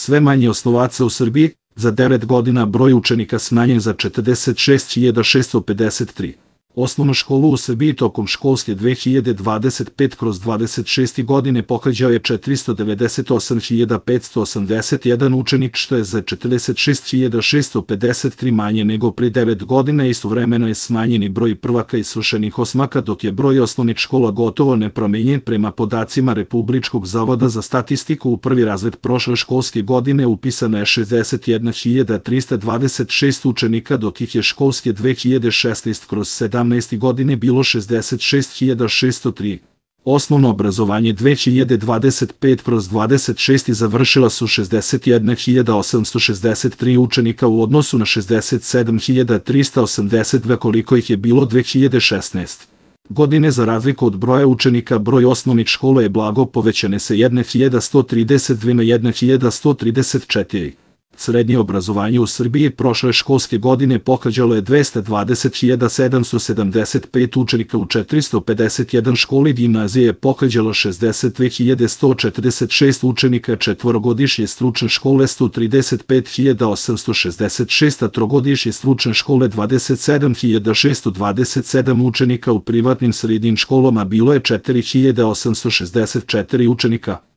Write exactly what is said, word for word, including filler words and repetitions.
sve manje osnovaca u Srbiji, za devet godina broj učenika smanjen za četrdeset šest hiljada šeststo pedeset tri. Osnovnu školu u Srbiji tokom školske dve hiljade dvadeset pete dvadeset šeste godine pohađao je četiristo devedeset osam hiljada petsto osamdeset jedan učenik, što je za četrdeset šest hiljada šeststo pedeset tri manje nego pre devet godina. Istovremeno je smanjeni broj prvaka i svršenih osmaka, dok je broj osnovnih škola gotovo nepromenjen. Prema podacima Republičkog zavoda za statistiku, u prvi razred prošle školske godine upisano je šezdeset jedna hiljada trista dvadeset šest učenika, dok ih je školske dve hiljade šesnaeste sedamnaeste godine bilo šezdeset šest hiljada šeststo tri. Osnovno obrazovanje dve hiljade dvadeset pete dvadeset šeste završila su šezdeset jedna hiljada osamsto šezdeset tri učenika u odnosu na šezdeset sedam hiljada trista osamdeset dva koliko ih je bilo dve hiljade šesnaeste. godine. Za razliku od broja učenika, broj osnovnih škola je blago povećane sa hiljadu sto trideset dve na hiljadu sto trideset četiri. Srednje obrazovanje u Srbiji prošle školske godine pohađalo je dvesta dvadeset hiljada sedamsto sedamdeset pet učenika u četiristo pedeset jedan školi, gimnazije je pohađalo šezdeset dve hiljade sto četrdeset šest učenika, četvorogodišnje stručne škole sto trideset pet hiljada osamsto šezdeset šest, a trogodišnje stručne škole dvadeset sedam hiljada šeststo dvadeset sedam učenika. U privatnim srednjim školama bilo je četiri hiljade osamsto šezdeset četiri učenika.